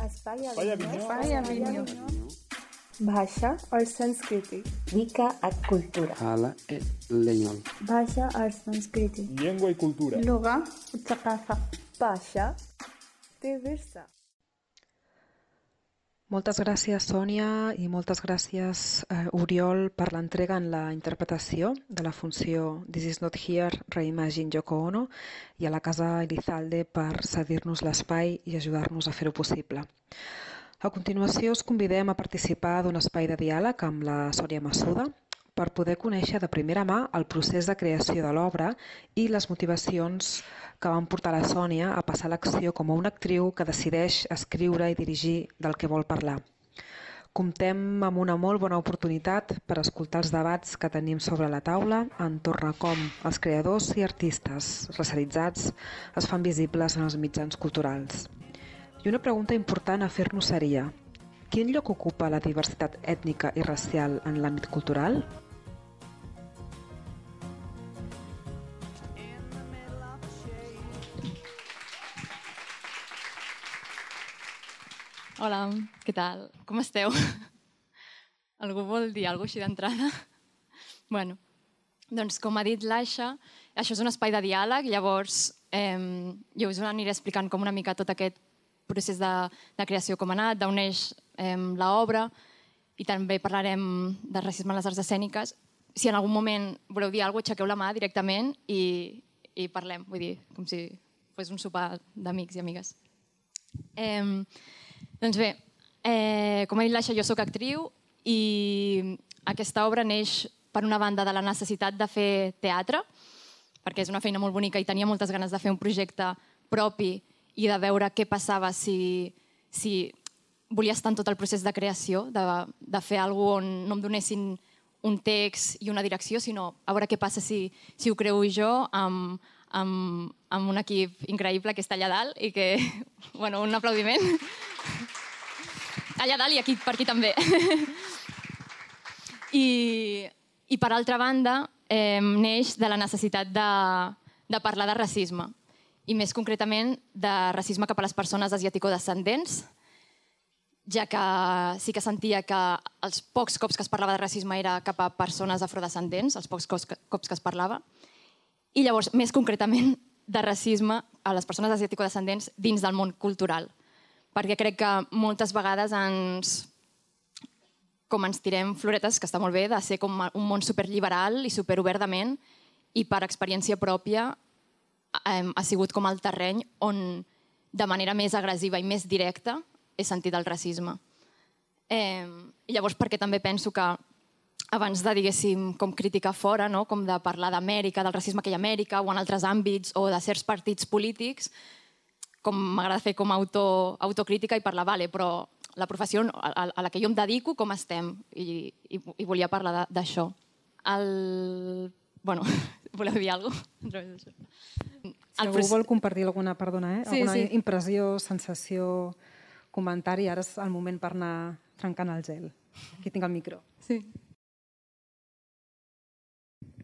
Espai Avignon. भाषा और संस्कृति Mica a cultura. Hala e leñol. भाषा और संस्कृति Lengua y cultura. اللغة والثقافة भाषा diversa. Moltes gràcies, Sònia, i moltes gràcies, Oriol, per l'entrega en la interpretació de la funció This is not here, Reimagine Yoko Ono, i a la Casa Elizalde per cedir-nos l'espai i ajudar-nos a fer-ho possible. A continuació, us convidem a participar d'un espai de diàleg amb la Sònia Massuda per poder conèixer de primera mà el procés de creació de l'obra i les motivacions que van portar la Sònia a passar l'acció com a una actriu que decideix escriure i dirigir del que vol parlar. Comptem amb una molt bona oportunitat per escoltar els debats que tenim sobre la taula entorn a com els creadors i artistes racialitzats es fan visibles en els mitjans culturals. I una pregunta important a fer-nos seria: quin lloc ocupa la diversitat ètnica i racial en l'àmbit cultural? Hola, què tal? Com esteu? Algú vol dir alguna cosa així d'entrada? Bueno, doncs com ha dit l'Aixa, això és un espai de diàleg, llavors jo us aniré explicant com una mica tot aquest procés de creació com ha anat, d'on neix l'obra, i també parlarem de racisme en les arts escèniques. Si en algun moment voleu dir alguna cosa, aixequeu la mà directament i parlem, vull dir, com si fos un sopar d'amics i amigues. Doncs bé, com ha dit l'Aixa, jo sóc actriu i aquesta obra neix per una banda de la necessitat de fer teatre, perquè és una feina molt bonica i tenia moltes ganes de fer un projecte propi i de veure què passava si volia estar en tot el procés de creació, de fer alguna cosa on no em donessin un text i una direcció, sinó a veure què passa si ho creo jo amb un equip increïble que està allà dalt i que, bueno, un aplaudiment. Allà dalt i aquí, per aquí també. I per altra banda, neix de la necessitat de parlar de racisme, i més concretament de racisme cap a les persones asiàtico-descendents, ja que sí que sentia que els pocs cops que es parlava de racisme era cap a persones afrodescendents, els pocs cops que es parlava, i llavors, més concretament, de racisme a les persones asiàtico-descendents dins del món cultural, perquè crec que moltes vegades ens tirem floretes, que està molt bé, de ser com un món superliberal i superobert de ment, i per experiència pròpia ha sigut com el terreny on de manera més agressiva i més directa he sentit el racisme. I llavors perquè també penso que abans de, diguéssim, com criticar fora, com de parlar d'Amèrica, del racisme que hi ha a Amèrica o en altres àmbits o de certs partits polítics, com m'agrada fer com autocrítica i parlar, vale, però la professió a la que jo em dedico, com estem? I volia parlar d'això. Bueno, voleu dir alguna cosa? Si algú vol compartir alguna impressió, sensació, comentari, ara és el moment per anar trencant el gel. Aquí tinc el micro. Sí.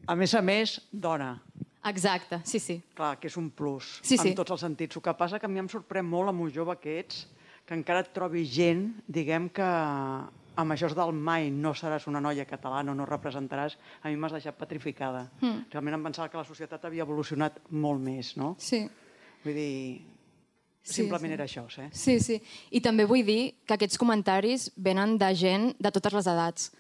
A més, dona. Exacte, sí. Clar, que és un plus, sí. En tots els sentits. El que passa que a mi em sorprèn molt amb un jove que ets, que encara et trobi gent, diguem que amb això del mai no seràs una noia catalana o no representaràs, a mi m'has deixat petrificada. Realment em pensava que la societat havia evolucionat molt més, no? Sí. Vull dir, simplement era això, eh? Sí. I també vull dir que aquests comentaris venen de gent de totes les edats,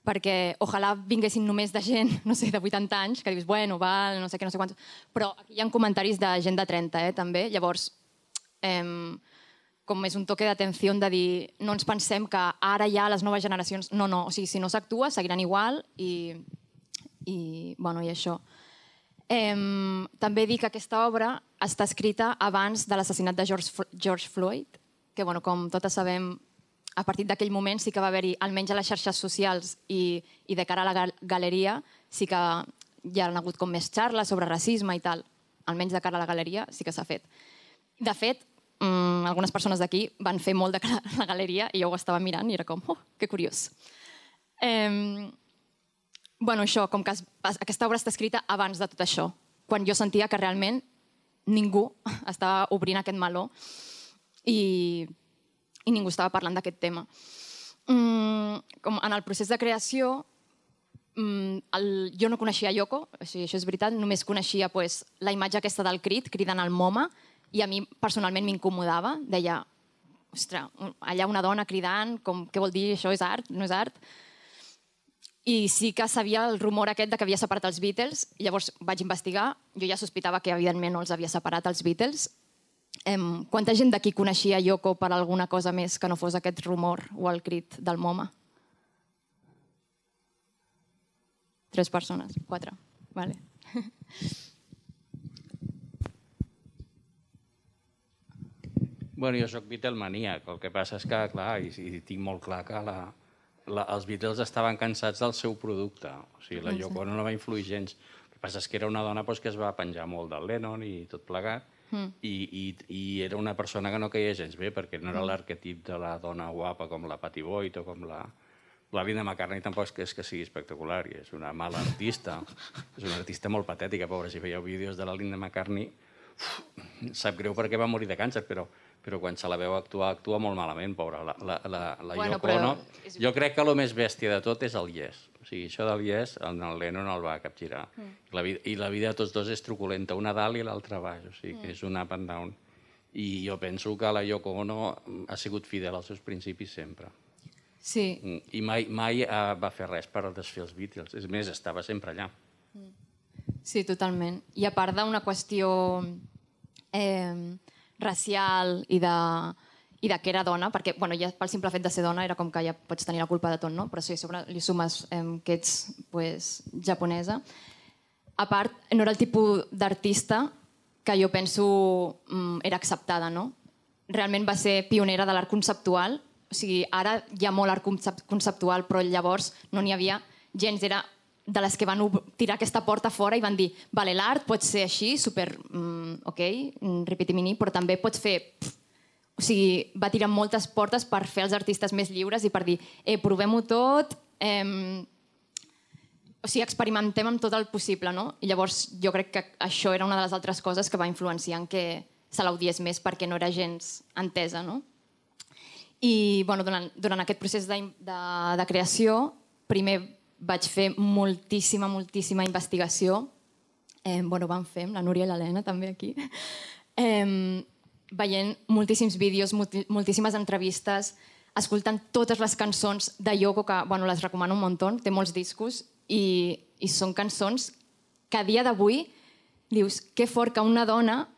perquè ojalà vinguessin només de gent, no sé, de 80 anys, que dius, bueno, val, no sé què, no sé quants, però aquí hi ha comentaris de gent de 30, també, llavors com és un toque d'atenció de dir no ens pensem que ara ja les noves generacions... No, o sigui, si no s'actua, seguiran igual i això. També dir que aquesta obra està escrita abans de l'assassinat de George Floyd, que, com totes sabem, a partir d'aquell moment sí que va haver-hi, almenys a les xarxes socials i de cara a la galeria, sí que hi ha hagut com més xarles sobre racisme i tal. Almenys de cara a la galeria sí que s'ha fet. De fet, algunes persones d'aquí van fer molt de cara a la galeria i jo ho estava mirant i era com, que curiós. Això, com que aquesta obra està escrita abans de tot això, quan jo sentia que realment ningú estava obrint aquest meló i i ningú estava parlant d'aquest tema. Com en el procés de creació, jo no coneixia Yoko, això és veritat, només coneixia la imatge aquesta del crit, cridant al MoMA, i a mi personalment m'incomodava, deia, ostres, allà una dona cridant, què vol dir, això és art, no és art? I sí que sabia el rumor aquest de que havia separat els Beatles, i llavors vaig investigar, jo ja sospitava que evidentment no els havia separat els Beatles. Quanta gent d'aquí coneixia Yoko per alguna cosa més que no fos aquest rumor o el crit del MoMA? 3 persones, 4. Vale. Bueno, jo soc Beatlemaníac, el que passa és que, clar, i tinc molt clar que els Beatles estaven cansats del seu producte. O sigui, la Yoko Ono no va influir gens. El que passa és que era una dona que es va penjar molt del Lennon i tot plegat, i era una persona que no caia gens bé, perquè no era l'arquetip de la dona guapa com la Pattie Boyd o com la Linda McCartney. Tampoc és que sigui espectacular, i és una mala artista. És una artista molt patètica, pobra. Si veieu vídeos de la Linda McCartney, sap greu perquè va morir de càncer, però quan se la veu actuar, actua molt malament, pobra. La Yoko Ono. Jo crec que el més bèstia de tot és el Yes. O sigui, això del Yes, el Lennon el va capgirar. I la vida de tots dos és truculenta, una dalt i l'altra baix. O sigui, que és un up and down. I jo penso que la Yoko Ono ha sigut fidel als seus principis sempre. Sí. I mai va fer res per desfer els Beatles. És més, estava sempre allà. Sí, totalment. I a part d'una qüestió racial i de que era dona, perquè ja pel simple fet de ser dona era com que ja pots tenir la culpa de tot, no? Però si a sobre li sumes que ets japonesa. A part, no era el tipus d'artista que jo penso era acceptada, no? Realment va ser pionera de l'art conceptual. O sigui, ara hi ha molt art conceptual, però llavors no n'hi havia gens. Era de les que van tirar aquesta porta fora i van dir, vale, l'art pot ser així, super, ok, ripitimini, però també pots fer... O sigui, va tirar moltes portes per fer els artistes més lliures i per dir, provem-ho tot, o sigui, experimentem amb tot el possible, no? I llavors jo crec que això era una de les altres coses que va influenciar en que se l'audiés més perquè no era gens entesa, no? I durant aquest procés de creació, primer vaig fer moltíssima investigació. Vam fer, la Núria i l'Helena també aquí, veient moltíssims vídeos, moltíssimes entrevistes, escoltant totes les cançons de Yoko, que les recomano un muntó, té molts discos, i són cançons que a dia d'avui dius que fort que una dona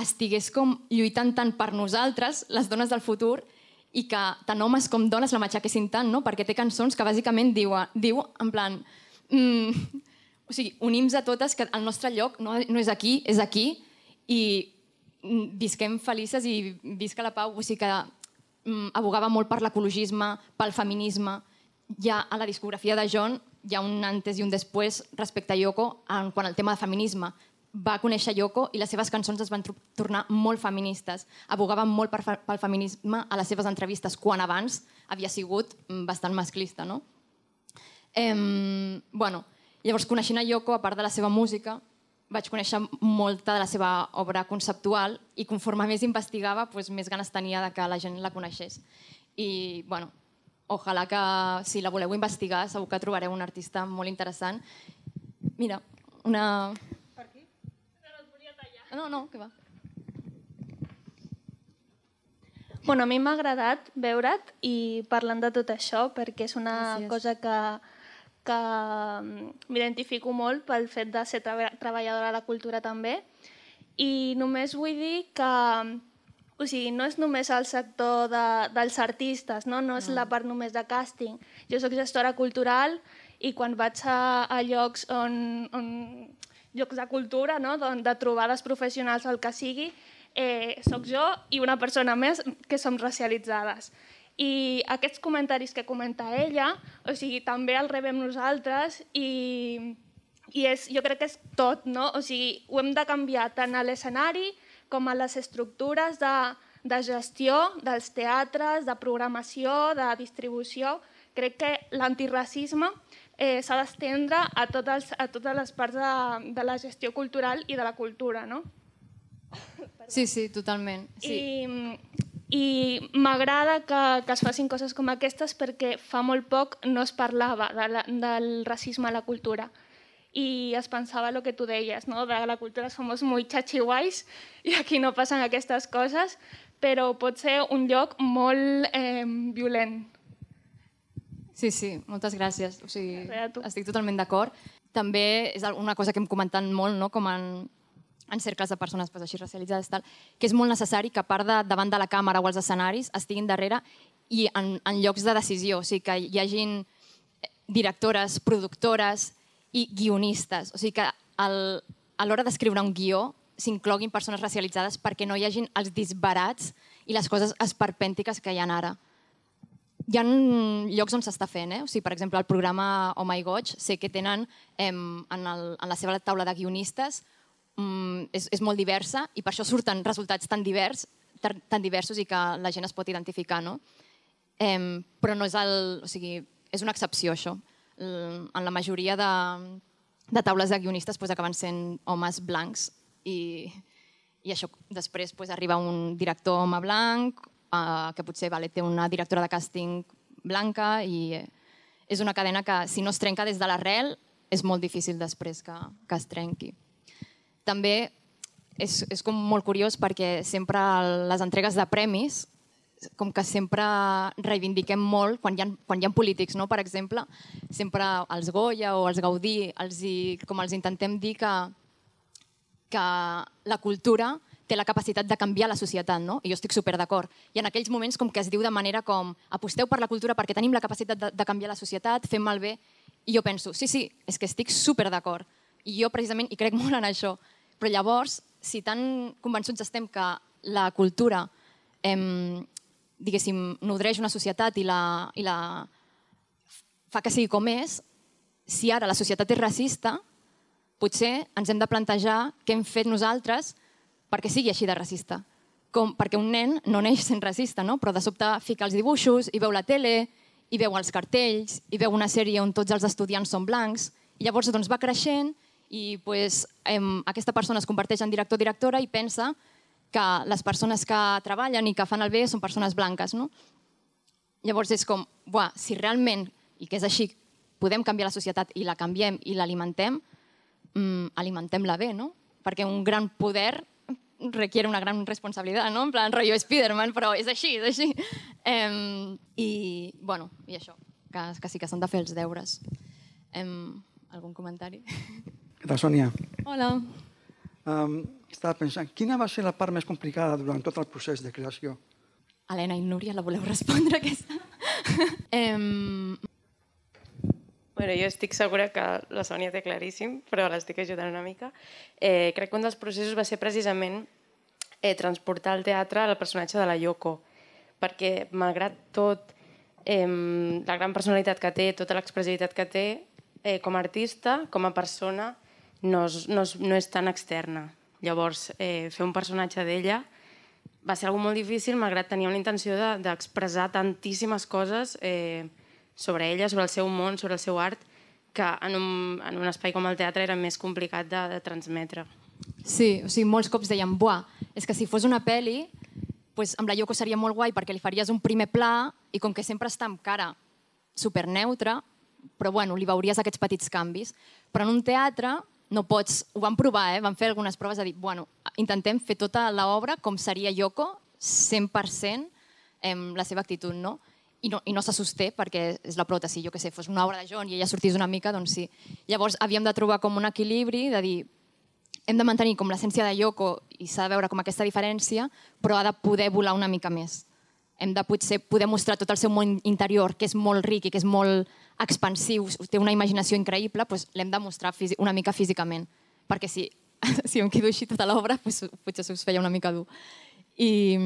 estigués com lluitant tant per nosaltres, les dones del futur, i que tant homes com dones la matxaquessin tant, no? Perquè té cançons que bàsicament diu en plan... O sigui, unim-nos a totes que el nostre lloc no és aquí, és aquí, i visquem felices i visca la pau. O sigui que abogava molt per l'ecologisme, pel feminisme. Ja a la discografia de John hi ha un antes i un després respecte a Yoko quan el tema de feminisme. Va conèixer Yoko i les seves cançons es van tornar molt feministes. Abogaven molt pel feminisme a les seves entrevistes, quan abans havia sigut bastant masclista, no? Llavors, coneixent a Yoko, a part de la seva música, vaig conèixer molta de la seva obra conceptual i conforme més investigava, més ganes tenia de que la gent la coneixés. I, ojalà que si la voleu investigar segur que trobareu un artista molt interessant. Mira, una... No, què va? A mi m'ha agradat veure't i parlant de tot això, perquè és una cosa que m'identifico molt pel fet de ser treballadora de la cultura també. I només vull dir que no és només el sector dels artistes, no és la part només de càsting. Jo soc gestora cultural i quan vaig a llocs llocs de cultura, de trobades professionals o el que sigui, soc jo i una persona més que som racialitzades. I aquests comentaris que comenta ella, també els rebem nosaltres i jo crec que és tot, no? O sigui, ho hem de canviar tant a l'escenari com a les estructures de gestió dels teatres, de programació, de distribució. Crec que l'antiracisme s'ha d'estendre a totes les parts de la gestió cultural i de la cultura, no? Sí, totalment. I m'agrada que es facin coses com aquestes perquè fa molt poc no es parlava del racisme a la cultura. I es pensava el que tu deies, no? De la cultura somos muy chachihuais i aquí no passen aquestes coses, però pot ser un lloc molt violent. Sí, moltes gràcies. O sigui, estic totalment d'acord. També és una cosa que hem comentat molt, no? Com en cercles de persones així racialitzades, que és molt necessari que a part de davant de la càmera o els escenaris estiguin darrere i en llocs de decisió, o sigui, que hi hagin directores, productores i guionistes. O sigui, que a l'hora d'escriure un guió s'incloguin persones racialitzades perquè no hi hagin els disbarats i les coses esperpèntiques que hi ha ara. Hi ha llocs on s'està fent, o sigui, per exemple, el programa Oh My Goig, sé que tenen en la seva taula de guionistes, és molt diversa i per això surten resultats tan diversos i que la gent es pot identificar, no? Però no és o sigui, és una excepció, això. En la majoria de taules de guionistes acaben sent homes blancs i això després arriba un director home blanc que potser té una directora de càsting blanca i és una cadena que si no es trenca des de l'arrel és molt difícil després que es trenqui. També és com molt curiós perquè sempre a les entregues de premis com que sempre reivindiquem molt quan hi ha polítics, no? Per exemple, sempre els Goya o els Gaudí com els intentem dir que la cultura té la capacitat de canviar la societat, no? I jo estic super d'acord. I en aquells moments com que es diu de manera com aposteu per la cultura perquè tenim la capacitat de canviar la societat, fem malbé. I jo penso, sí, és que estic super d'acord. I jo precisament hi crec molt en això. Però llavors, si tan convençuts estem que la cultura diguéssim, nodreix una societat i la fa que sigui com és, si ara la societat és racista, potser ens hem de plantejar què hem fet nosaltres perquè sigui així de racista. Perquè un nen no neix sent racista, no? Però de sobte fica els dibuixos i veu la tele, i veu els cartells, i veu una sèrie on tots els estudiants són blancs, i llavors va creixent i aquesta persona es converteix en director o directora i pensa que les persones que treballen i que fan el bé són persones blanques, no? Llavors és com, si realment, i que és així, podem canviar la societat i la canviem i l'alimentem, alimentem-la bé, no? Perquè un gran poder requiere una gran responsabilitat, no? En plan, rotllo Spiderman, però és així, és així. I això, que sí que s'han de fer els deures. Algun comentari? Què tal, Sònia? Hola. Estava pensant, quina va ser la part més complicada durant tot el procés de creació? Helena i Núria, la voleu respondre, aquesta? Jo estic segura que la Sònia té claríssim, però l'estic ajudant una mica. Crec que un dels processos va ser precisament transportar al teatre el personatge de la Yoko, perquè malgrat tot la gran personalitat que té, tota l'expressivitat que té, com a artista, com a persona, no és tan externa. Llavors, fer un personatge d'ella va ser algo molt difícil, malgrat tenir una intenció d'expressar tantíssimes coses sobre ella, sobre el seu món, sobre el seu art, que en un espai com el teatre era més complicat de transmetre. Sí, o sigui, molts cops deien, és que si fos una pel·li, amb la Yoko seria molt guai perquè li faries un primer pla i com que sempre està amb cara superneutra, però li veuries aquests petits canvis. Però en un teatre no pots, ho vam provar, vam fer algunes proves de dir, intentem fer tota l'obra com seria Yoko, 100% la seva actitud, no? I no se sosté perquè és la prota, si jo que sé, fos una obra de John i ella sortís una mica, doncs sí. Llavors havíem de trobar com un equilibri de dir hem de mantenir com l'essència de Yoko i s'ha de veure com aquesta diferència, però ha de poder volar una mica més. Hem de potser poder mostrar tot el seu món interior, que és molt ric i que és molt expansiu, té una imaginació increïble, doncs l'hem de mostrar una mica físicament, perquè si em quedo així tota l'obra, potser us feia una mica dur. I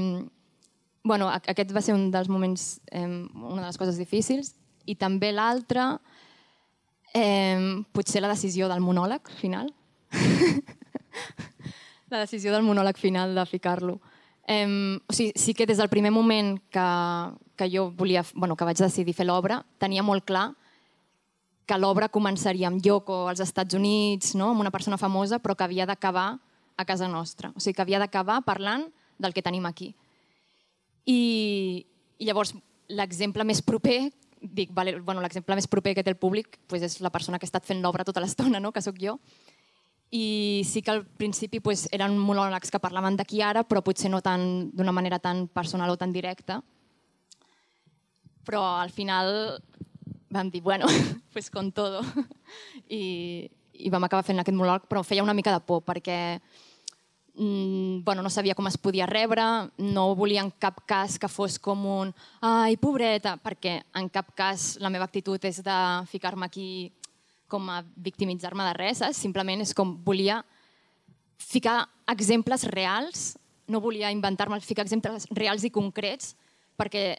aquest va ser un dels moments, una de les coses difícils, i també l'altre, potser la decisió del monòleg final. La decisió del monòleg final de ficar-lo. Sí que des del primer moment que jo volia, que vaig decidir fer l'obra, tenia molt clar que l'obra començaria amb Yoko als Estats Units, amb una persona famosa, però que havia d'acabar a casa nostra. O sigui, que havia d'acabar parlant del que tenim aquí. I llavors l'exemple més proper, l'exemple més proper que té el públic és la persona que ha estat fent l'obra tota l'estona, que sóc jo. I sí que al principi eren monòlegs que parlaven d'aquí ara, però potser no d'una manera tan personal o tan directa. Però al final vam dir, bueno, pues con todo. I vam acabar fent aquest monòleg, però feia una mica de por, perquè no sabia com es podia rebre, no volia en cap cas que fos com un ai, pobreta, perquè en cap cas la meva actitud és de ficar-me aquí com a victimitzar-me de res, simplement és com volia ficar exemples reals, no volia inventar-me, ficar exemples reals i concrets, perquè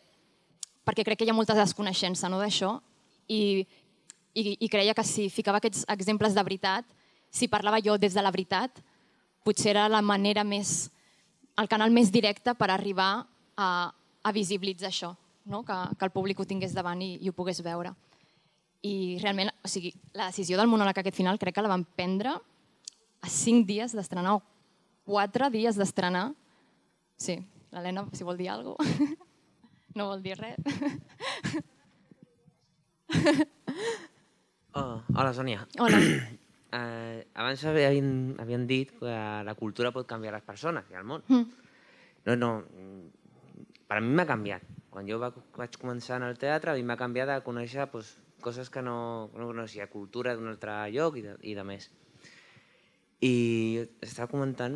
crec que hi ha molta desconeixença d'això i creia que si ficava aquests exemples de veritat, si parlava jo des de la veritat, potser era la manera el canal més directe per arribar a visibilitzar això, que el públic ho tingués davant i ho pogués veure. I realment, o sigui, la decisió del monòleg aquest final crec que la vam prendre a 5 dies d'estrenar o 4 dies d'estrenar. Sí, l'Helena, si vol dir alguna cosa. No vol dir res. Hola, Sònia. Hola. Abans havien dit que la cultura pot canviar les persones i el món. No, per a mi m'ha canviat. Quan jo vaig començar en el teatre, a mi m'ha canviat de conèixer coses que no coneixia, cultura d'un altre lloc i de més. I estava comentant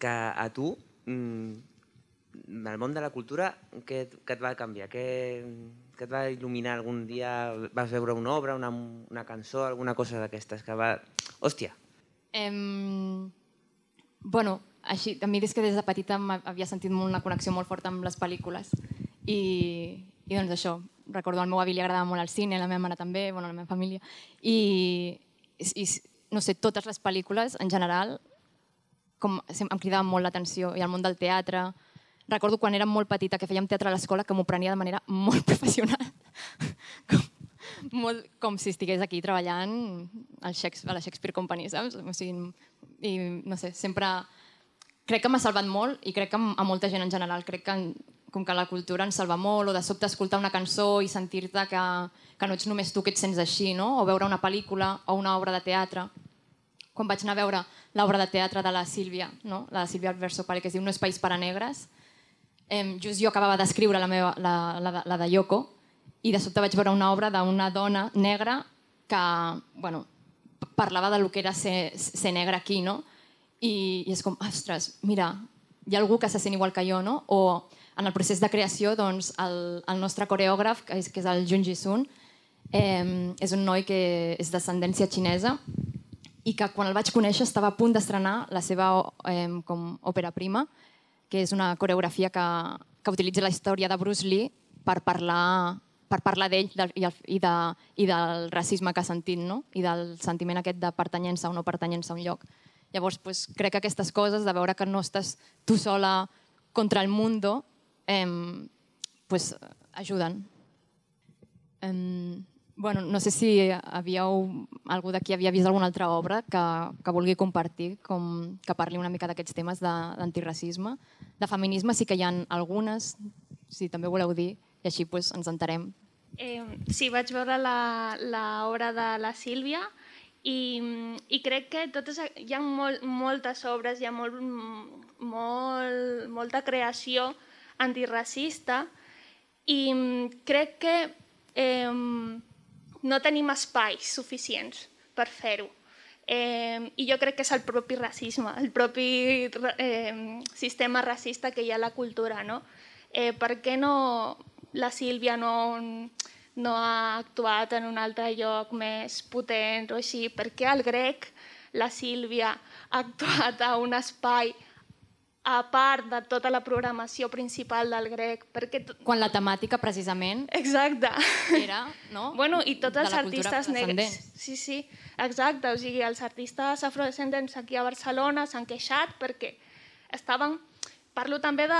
que a tu, el món de la cultura, què et va canviar? Què et va il·luminar algun dia? Vas veure una obra, una cançó, alguna cosa d'aquestes que va... Hòstia! Bueno, així, a mi des de petita havia sentit una connexió molt forta amb les pel·lícules i doncs això, recordo al meu avi li agradava molt el cine, la meva mare també, la meva família, i no sé, totes les pel·lícules en general em cridaven molt l'atenció, i el món del teatre. Recordo quan era molt petita que fèiem teatre a l'escola que m'ho prenia de manera molt professional, com si estigués aquí treballant a la Shakespeare Company, saps? O sigui, i no sé, sempre crec que m'ha salvat molt i crec que a molta gent en general, crec que com que la cultura ens salva molt, o de sobte escoltar una cançó i sentir-te que no ets només tu que et sents així, no? O veure una pel·lícula o una obra de teatre. Quan vaig anar a veure l'obra de teatre de la Sílvia, la de Sílvia Versopari, que es diu No és país per a negres, just jo acabava d'escriure la de Yoko i de sobte vaig veure una obra d'una dona negra que parlava del que era ser negra aquí, no? I és com, ostres, mira, hi ha algú que se sent igual que jo, no? O en el procés de creació, doncs, el nostre coreògraf, que és el Jun Ji-sun, és un noi que és d'ascendència xinesa i que quan el vaig conèixer estava a punt d'estrenar la seva òpera prima, que és una coreografia que utilitza la història de Bruce Lee per parlar d'ell i del racisme que ha sentit, no? I del sentiment aquest de pertanyença o no pertanyença a un lloc. Llavors, crec que aquestes coses, de veure que no estàs tu sola contra el mundo, ajuden. No sé si algú d'aquí havia vist alguna altra obra que vulgui compartir, que parli una mica d'aquests temes d'antiracisme. De feminisme sí que hi ha algunes, si també voleu dir, i així ens entarem. Sí, vaig veure l'obra de la Sílvia i crec que hi ha moltes obres, hi ha molta creació antiracista i crec que no tenim espais suficients per fer-ho. I jo crec que és el propi racisme, el propi sistema racista que hi ha a la cultura, no? Per què la Sílvia no ha actuat en un altre lloc més potent o així? Per què al Grec la Sílvia ha actuat a un espai a part de tota la programació principal del Grec? Quan la temàtica, precisament, era i tots els artistes negres. Sí, exacte. O sigui, els artistes afrodescendents aquí a Barcelona s'han queixat perquè estaven... Parlo també de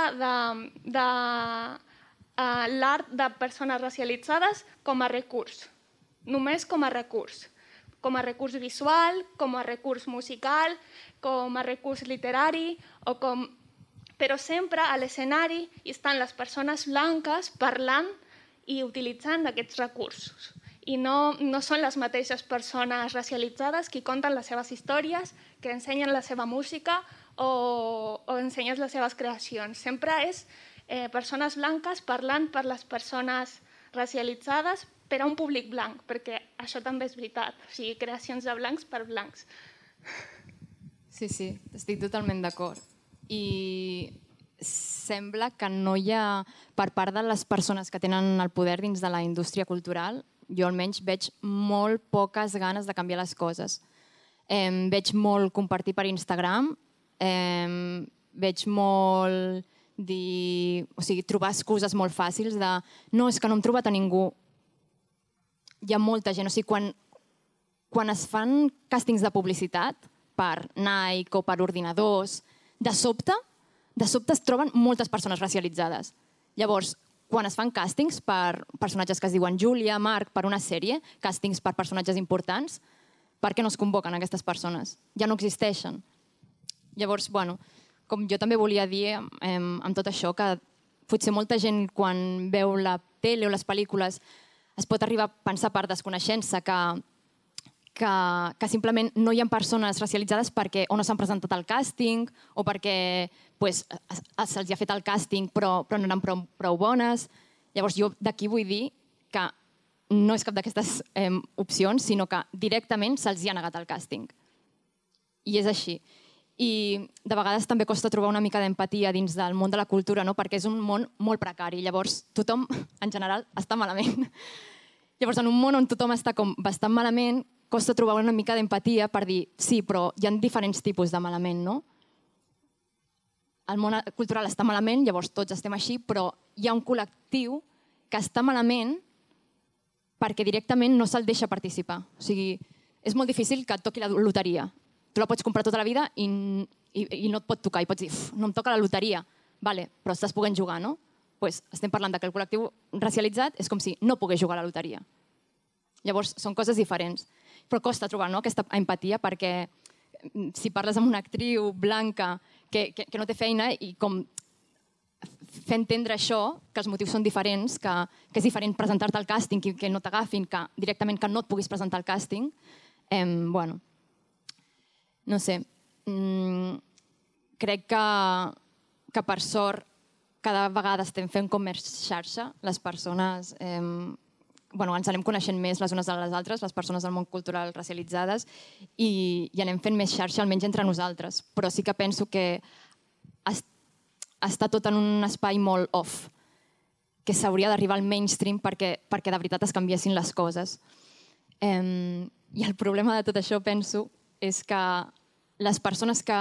l'art de persones racialitzades com a recurs, només com a recurs visual, com a recurs musical, com a recurs literari o com però sempre a l'escenari estan les persones blanques parlant i utilitzant aquests recursos. I no són les mateixes persones racialitzades qui conten les seves històries, que ensenyen la seva música o ensenyen les seves creacions. Sempre és persones blanques parlant per les persones racialitzades per a un públic blanc, perquè això també és veritat. O sigui, creacions de blancs per blancs. Sí, estic totalment d'acord. I sembla que no hi ha, per part de les persones que tenen el poder dins de la indústria cultural, jo almenys veig molt poques ganes de canviar les coses. Veig molt compartir per Instagram, veig molt trobar excuses molt fàcils de no, és que no hem trobat a ningú. Hi ha molta gent, o sigui, quan es fan càstings de publicitat per Nike o per ordinadors, de sobte es troben moltes persones racialitzades. Llavors, quan es fan càstings per personatges que es diuen Júlia, Marc, per una sèrie, càstings per personatges importants, per què no es convoquen aquestes persones? Ja no existeixen. Llavors, bueno, com jo també volia dir amb tot això, que potser molta gent quan veu la tele o les pel·lícules es pot arribar a pensar per desconeixença que simplement no hi ha persones racialitzades perquè o no s'han presentat al càsting o perquè se'ls ha fet el càsting però no eren prou bones. Llavors jo d'aquí vull dir que no és cap d'aquestes opcions, sinó que directament se'ls ha negat el càsting. I és així. I de vegades també costa trobar una mica d'empatia dins del món de la cultura, perquè és un món molt precari. Llavors tothom, en general, està malament. Llavors, en un món on tothom està com bastant malament, costa trobar una mica d'empatia per dir sí, però hi ha diferents tipus de malament, no? El món cultural està malament, llavors tots estem així, però hi ha un col·lectiu que està malament perquè directament no se'l deixa participar. O sigui, és molt difícil que et toqui la loteria. Tu la pots comprar tota la vida i no et pot tocar, i pots dir, no em toca la loteria, vale, però estàs podent jugar, no? Pues estem parlant que el col·lectiu racialitzat és com si no pogués jugar a la loteria. Llavors, són coses diferents. Però costa trobar aquesta empatia perquè si parles amb una actriu blanca que no té feina i com fer entendre això, que els motius són diferents, que és diferent presentar-te al càsting i que no t'agafin, que directament que no et puguis presentar al càsting, bueno, no sé. Crec que per sort cada vegada estem fent com més xarxa, les persones ens anem coneixent més les unes a les altres, les persones del món cultural racialitzades, i anem fent més xarxa, almenys entre nosaltres. Però sí que penso que està tot en un espai molt off, que s'hauria d'arribar al mainstream perquè de veritat es canviessin les coses. I el problema de tot això, penso, és que les persones que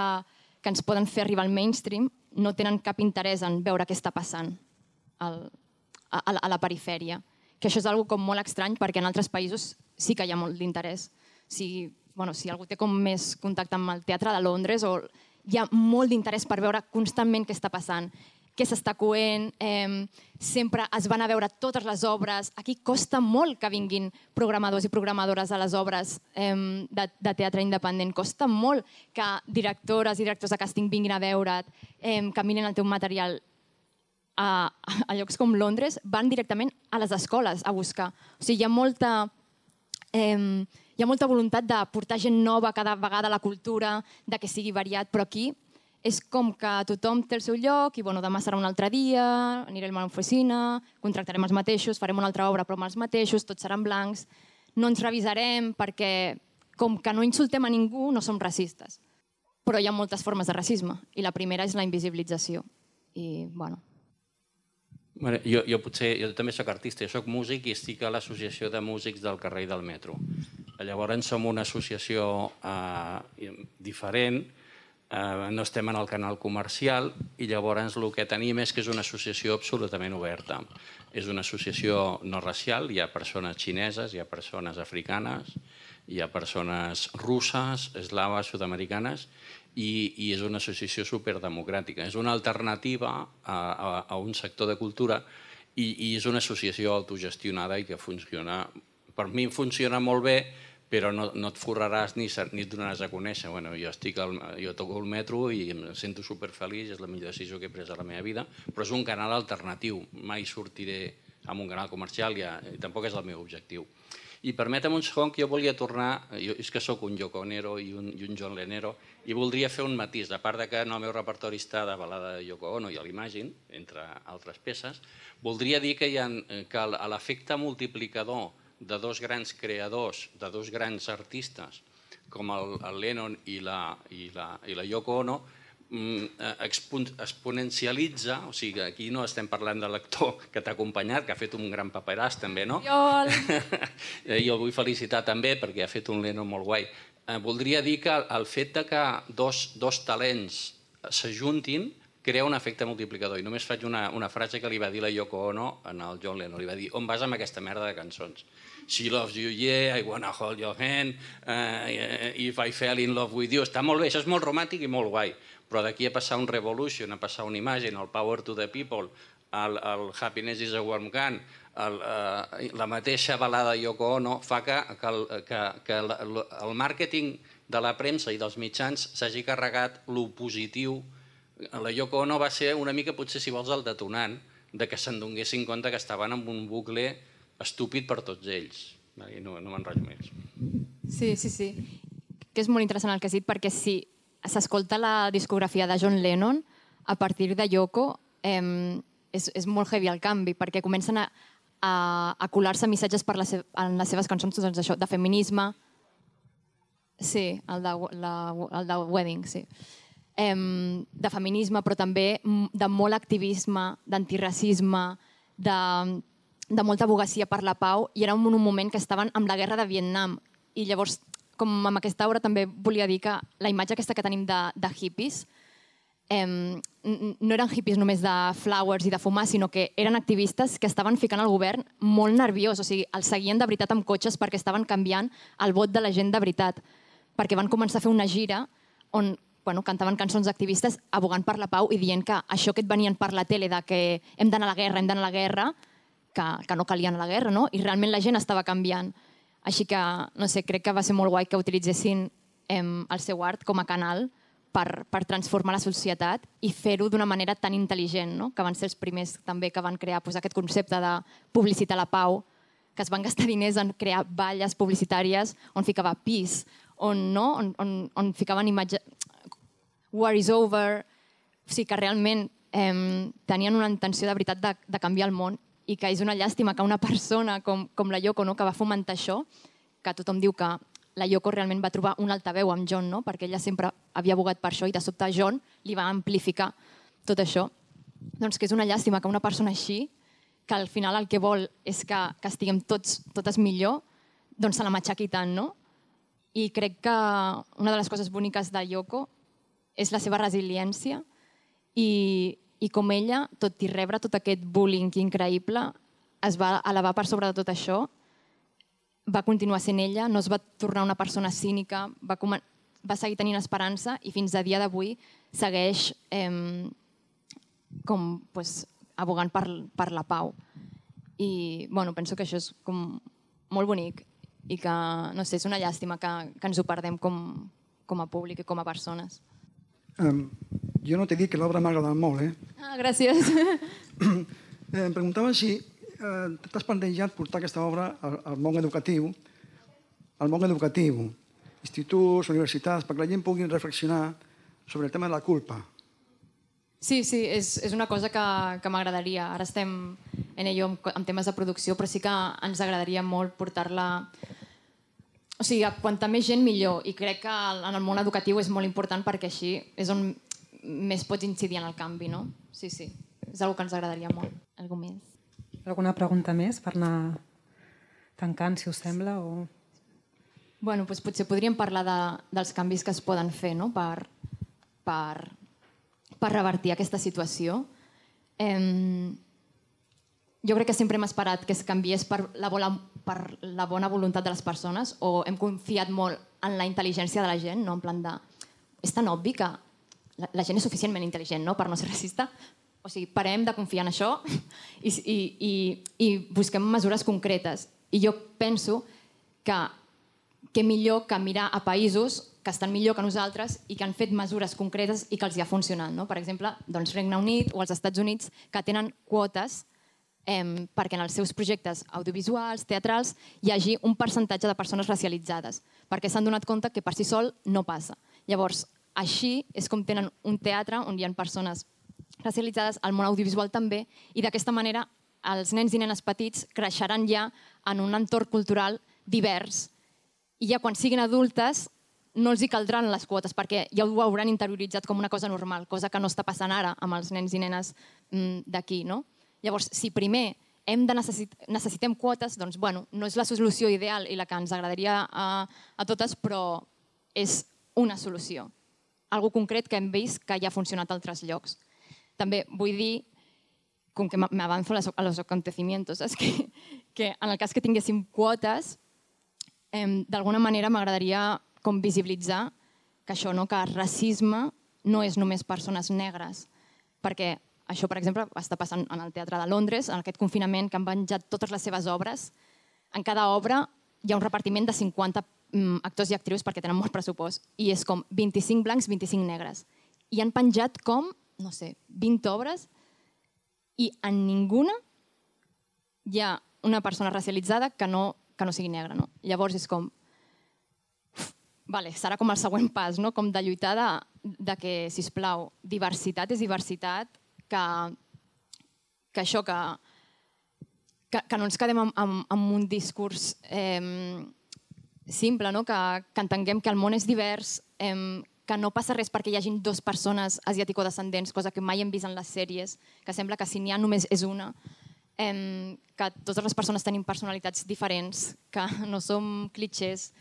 ens poden fer arribar al mainstream no tenen cap interès en veure què està passant a la perifèria. Que això és una cosa molt estrany perquè en altres països sí que hi ha molt d'interès. Si algú té com més contacte amb el teatre de Londres, hi ha molt d'interès per veure constantment què està passant, què s'està coent, sempre es van a veure totes les obres. Aquí costa molt que vinguin programadors i programadores a les obres de teatre independent. Costa molt que directores i directors de càsting vinguin a veure't, que miren el teu material. A llocs com Londres van directament a les escoles a buscar. O sigui, hi ha molta voluntat de portar gent nova cada vegada a la cultura, de que sigui variat, però aquí és com que tothom té el seu lloc i demà serà un altre dia, anirem a l'oficina, contractarem els mateixos, farem una altra obra però amb els mateixos, tots seran blancs, no ens revisarem perquè com que no insultem a ningú no som racistes. Però hi ha moltes formes de racisme i la primera és la invisibilització. I, bueno... Jo també soc artista, jo soc músic i estic a l'Associació de Músics del Carrer i del Metro. Llavors som una associació diferent, no estem en el canal comercial i llavors el que tenim és que és una associació absolutament oberta. És una associació no racial, hi ha persones xineses, hi ha persones africanes, hi ha persones russes, eslaves, sud-americanes, i és una associació superdemocràtica. És una alternativa a un sector de cultura i és una associació autogestionada i que funciona, per mi funciona molt bé però no et forraràs ni et donaràs a conèixer. Jo toco el metro i em sento superfeliç, és la millor decisió que he pres a la meva vida, però és un canal alternatiu. Mai sortiré amb un canal comercial i tampoc és el meu objectiu. I permetem un segon que jo volia tornar, és que sóc un Yoko Ono i un John Lennon, i voldria fer un matís, a part que en el meu repertori està de balada de Yoko Ono i l'Imagine, entre altres peces, voldria dir que l'efecte multiplicador de dos grans creadors, de dos grans artistes, com el Lennon i la Yoko Ono, exponencialitza, o sigui, aquí no estem parlant de l'actor que t'ha acompanyat, que ha fet un gran paperàs també, no? I el vull felicitar també perquè ha fet un Lennon molt guai. Voldria dir que el fet que dos talents s'ajuntin crea un efecte multiplicador. I només faig una frase que li va dir la Yoko Ono al John Lennon. Li va dir, on vas amb aquesta merda de cançons? She loves you, yeah, I wanna hold your hand, if I fell in love with you. Està molt bé, això és molt romàntic i molt guai. Però d'aquí a passar un Revolution, a passar una Imagine, el Power to the People, el Happiness is a Warm Gun, la mateixa balada de Yoko Ono, fa que el màrqueting de la premsa i dels mitjans s'hagi carregat lo positiu. La Yoko Ono va ser una mica, potser si vols, el detonant de que se'n donessin compte que estaven en un bucle estúpid per tots ells. No m'enrotllo més. Sí. Que és molt interessant el que has dit, perquè si s'escolta la discografia de John Lennon, a partir de Yoko és molt heavy el canvi, perquè comencen a colar-se missatges en les seves cançons de feminisme, sí, el de Wedding, sí, de feminisme, però també de molt activisme, d'antiracisme, de molta advocacia per la pau, i era un moment que estaven amb la guerra de Vietnam. I llavors, com amb aquesta obra també volia dir que la imatge aquesta que tenim de hippies no eren hippies només de flowers i de fumar, sinó que eren activistes que estaven ficant el govern molt nerviós, o sigui, els seguien de veritat amb cotxes perquè estaven canviant el vot de la gent de veritat, perquè van començar a fer una gira on cantaven cançons activistes abogant per la pau i dient que això que et venien per la tele de que hem d'anar a la guerra, que no calia anar a la guerra, no? I realment la gent estava canviant. Així que, no sé, crec que va ser molt guai que utilitzessin el seu art com a canal per transformar la societat i fer-ho d'una manera tan intel·ligent, no? Que van ser els primers també que van crear aquest concepte de publicitar la pau, que es van gastar diners en crear valles publicitàries on ficava peace, on ficaven imatges war is over, o sigui que realment tenien una intenció de veritat de canviar el món, i que és una llàstima que una persona com la Yoko, que va fomentar això, que tothom diu que la Yoko realment va trobar un altaveu amb John, perquè ella sempre havia abogat per això i de sobte John li va amplificar tot això. Doncs que és una llàstima que una persona així, que al final el que vol és que estiguem totes millor, doncs se la matxaqui tant, no? I crec que una de les coses boniques de Yoko és la seva resiliència i com ella, tot i rebre tot aquest bullying increïble, es va elevar per sobre de tot això, va continuar sent ella, no es va tornar una persona cínica, va seguir tenint esperança i fins a dia d'avui segueix abogant per la pau. I penso que això és molt bonic i que, no sé, és una llàstima que ens ho perdem com a públic i com a persones. Jo no t'he dit que l'obra m'ha agradat molt, Gràcies. Em preguntava si t'has plantejat portar aquesta obra al món educatiu, instituts, universitats, perquè la gent pugui reflexionar sobre el tema de la culpa. Sí, és una cosa que m'agradaria. Ara estem en ello amb temes de producció, però sí que ens agradaria molt portar-la... O sigui, quanta més gent millor, i crec que en el món educatiu és molt important perquè així és on més pots incidir en el canvi, no? Sí, és una cosa que ens agradaria molt. Algú més? Alguna pregunta més per anar tancant, si us sembla? Doncs potser podríem parlar dels canvis que es poden fer per revertir aquesta situació. Jo crec que sempre hem esperat que es canviés per la bona voluntat de les persones, o hem confiat molt en la intel·ligència de la gent, no? En plan de... És tan obvi que la gent és suficientment intel·ligent, no?, per no ser racista. O sigui, parem de confiar en això i busquem mesures concretes. I jo penso que què millor que mirar a països que estan millor que nosaltres i que han fet mesures concretes i que els hi ha funcionat. No? Per exemple, doncs Regne Unit o els Estats Units, que tenen quotes perquè en els seus projectes audiovisuals, teatrals, hi hagi un percentatge de persones racialitzades, perquè s'han donat compte que per si sol no passa. Llavors, així és com tenen un teatre on hi ha persones racialitzades, al món audiovisual també, i d'aquesta manera els nens i nenes petits creixeran ja en un entorn cultural divers i ja quan siguin adultes no els hi caldran les quotes perquè ja ho hauran interioritzat com una cosa normal, cosa que no està passant ara amb els nens i nenes d'aquí. No? Llavors, si primer necessitem quotes, doncs bueno, no és la solució ideal i la que ens agradaria a totes, però és una solució. Algo concret que hem vist que ja ha funcionat a altres llocs. També vull dir, com que m'avanzo a los acontecimientos, és que en el cas que tinguéssim quotes, d'alguna manera m'agradaria com visibilitzar que això, que el racisme no és només persones negres, perquè això, per exemple, està passant en el Teatre de Londres, en aquest confinament que han penjat totes les seves obres. En cada obra hi ha un repartiment de 50 actors i actrius perquè tenen molt pressupost i és com 25 blancs, 25 negres. I han penjat com, no sé, 20 obres i en ninguna hi ha una persona racialitzada que no sigui negra. No? Llavors és com... Vale, serà com el següent pas, no? Com de lluitar de que, sisplau, diversitat és diversitat, que això, que no ens quedem amb un discurs simple, no? Que entenguem que el món és divers, que no passa res perquè hi hagin dues persones asiàtico-descendents, cosa que mai hem vist en les sèries, que sembla que si n'hi ha només és una, que totes les persones tenim personalitats diferents, que no som clitxers,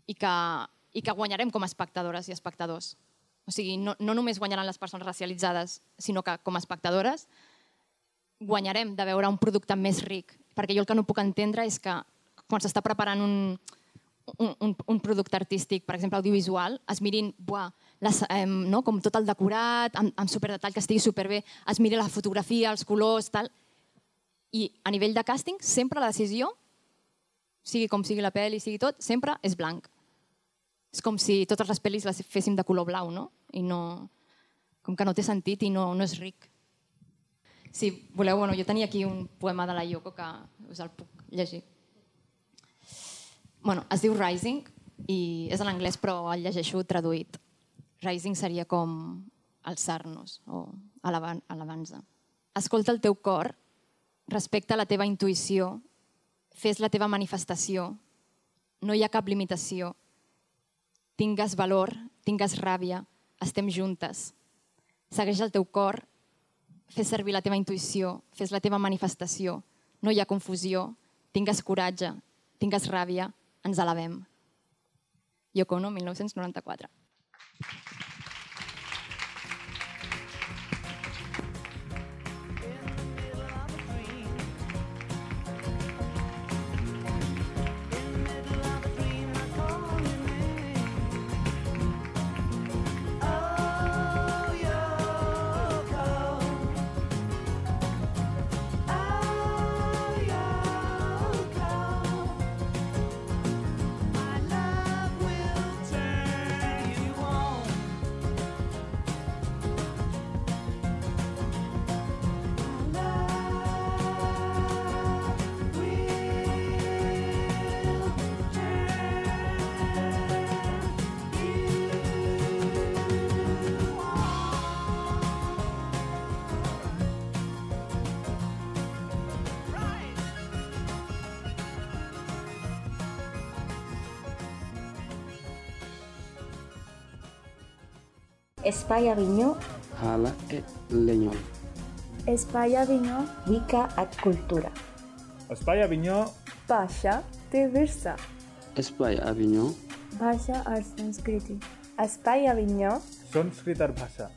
i que guanyarem com a espectadores i espectadors. O sigui, no només guanyaran les persones racialitzades, sinó que com a espectadores guanyarem de veure un producte més ric. Perquè jo el que no puc entendre és que quan s'està preparant un producte artístic, per exemple audiovisual, es mirin com tot el decorat, amb superdetall, que estigui superbé, es miri la fotografia, els colors, tal. I a nivell de càsting, sempre la decisió, sigui com sigui la pel·li, sigui tot, sempre és blanc. És com si totes les pel·lis les féssim de color blau, no? I no... Com que no té sentit i no és ric. Si voleu, jo tenia aquí un poema de la Yoko que us el puc llegir. Es diu Rising i és en anglès però el llegeixo traduït. Rising seria com alçar-nos o alabanza. Escolta el teu cor, respecta la teva intuïció, fes la teva manifestació, no hi ha cap limitació. Tingues valor, tingues ràbia, estem juntes. Segueix el teu cor, fes servir la teva intuïció, fes la teva manifestació, no hi ha confusió, tingues coratge, tingues ràbia, ens alabem. Yoko Ono, 1994. Espai Avinyó, Hala e Lenyol. Espai Avinyó, Wicca et Cultura. Espai Avinyó, Bhasha te Virsa. Espai Avinyó, Bhasha और संस्कृति. Espai Avinyó, Sanskrit और भाषा.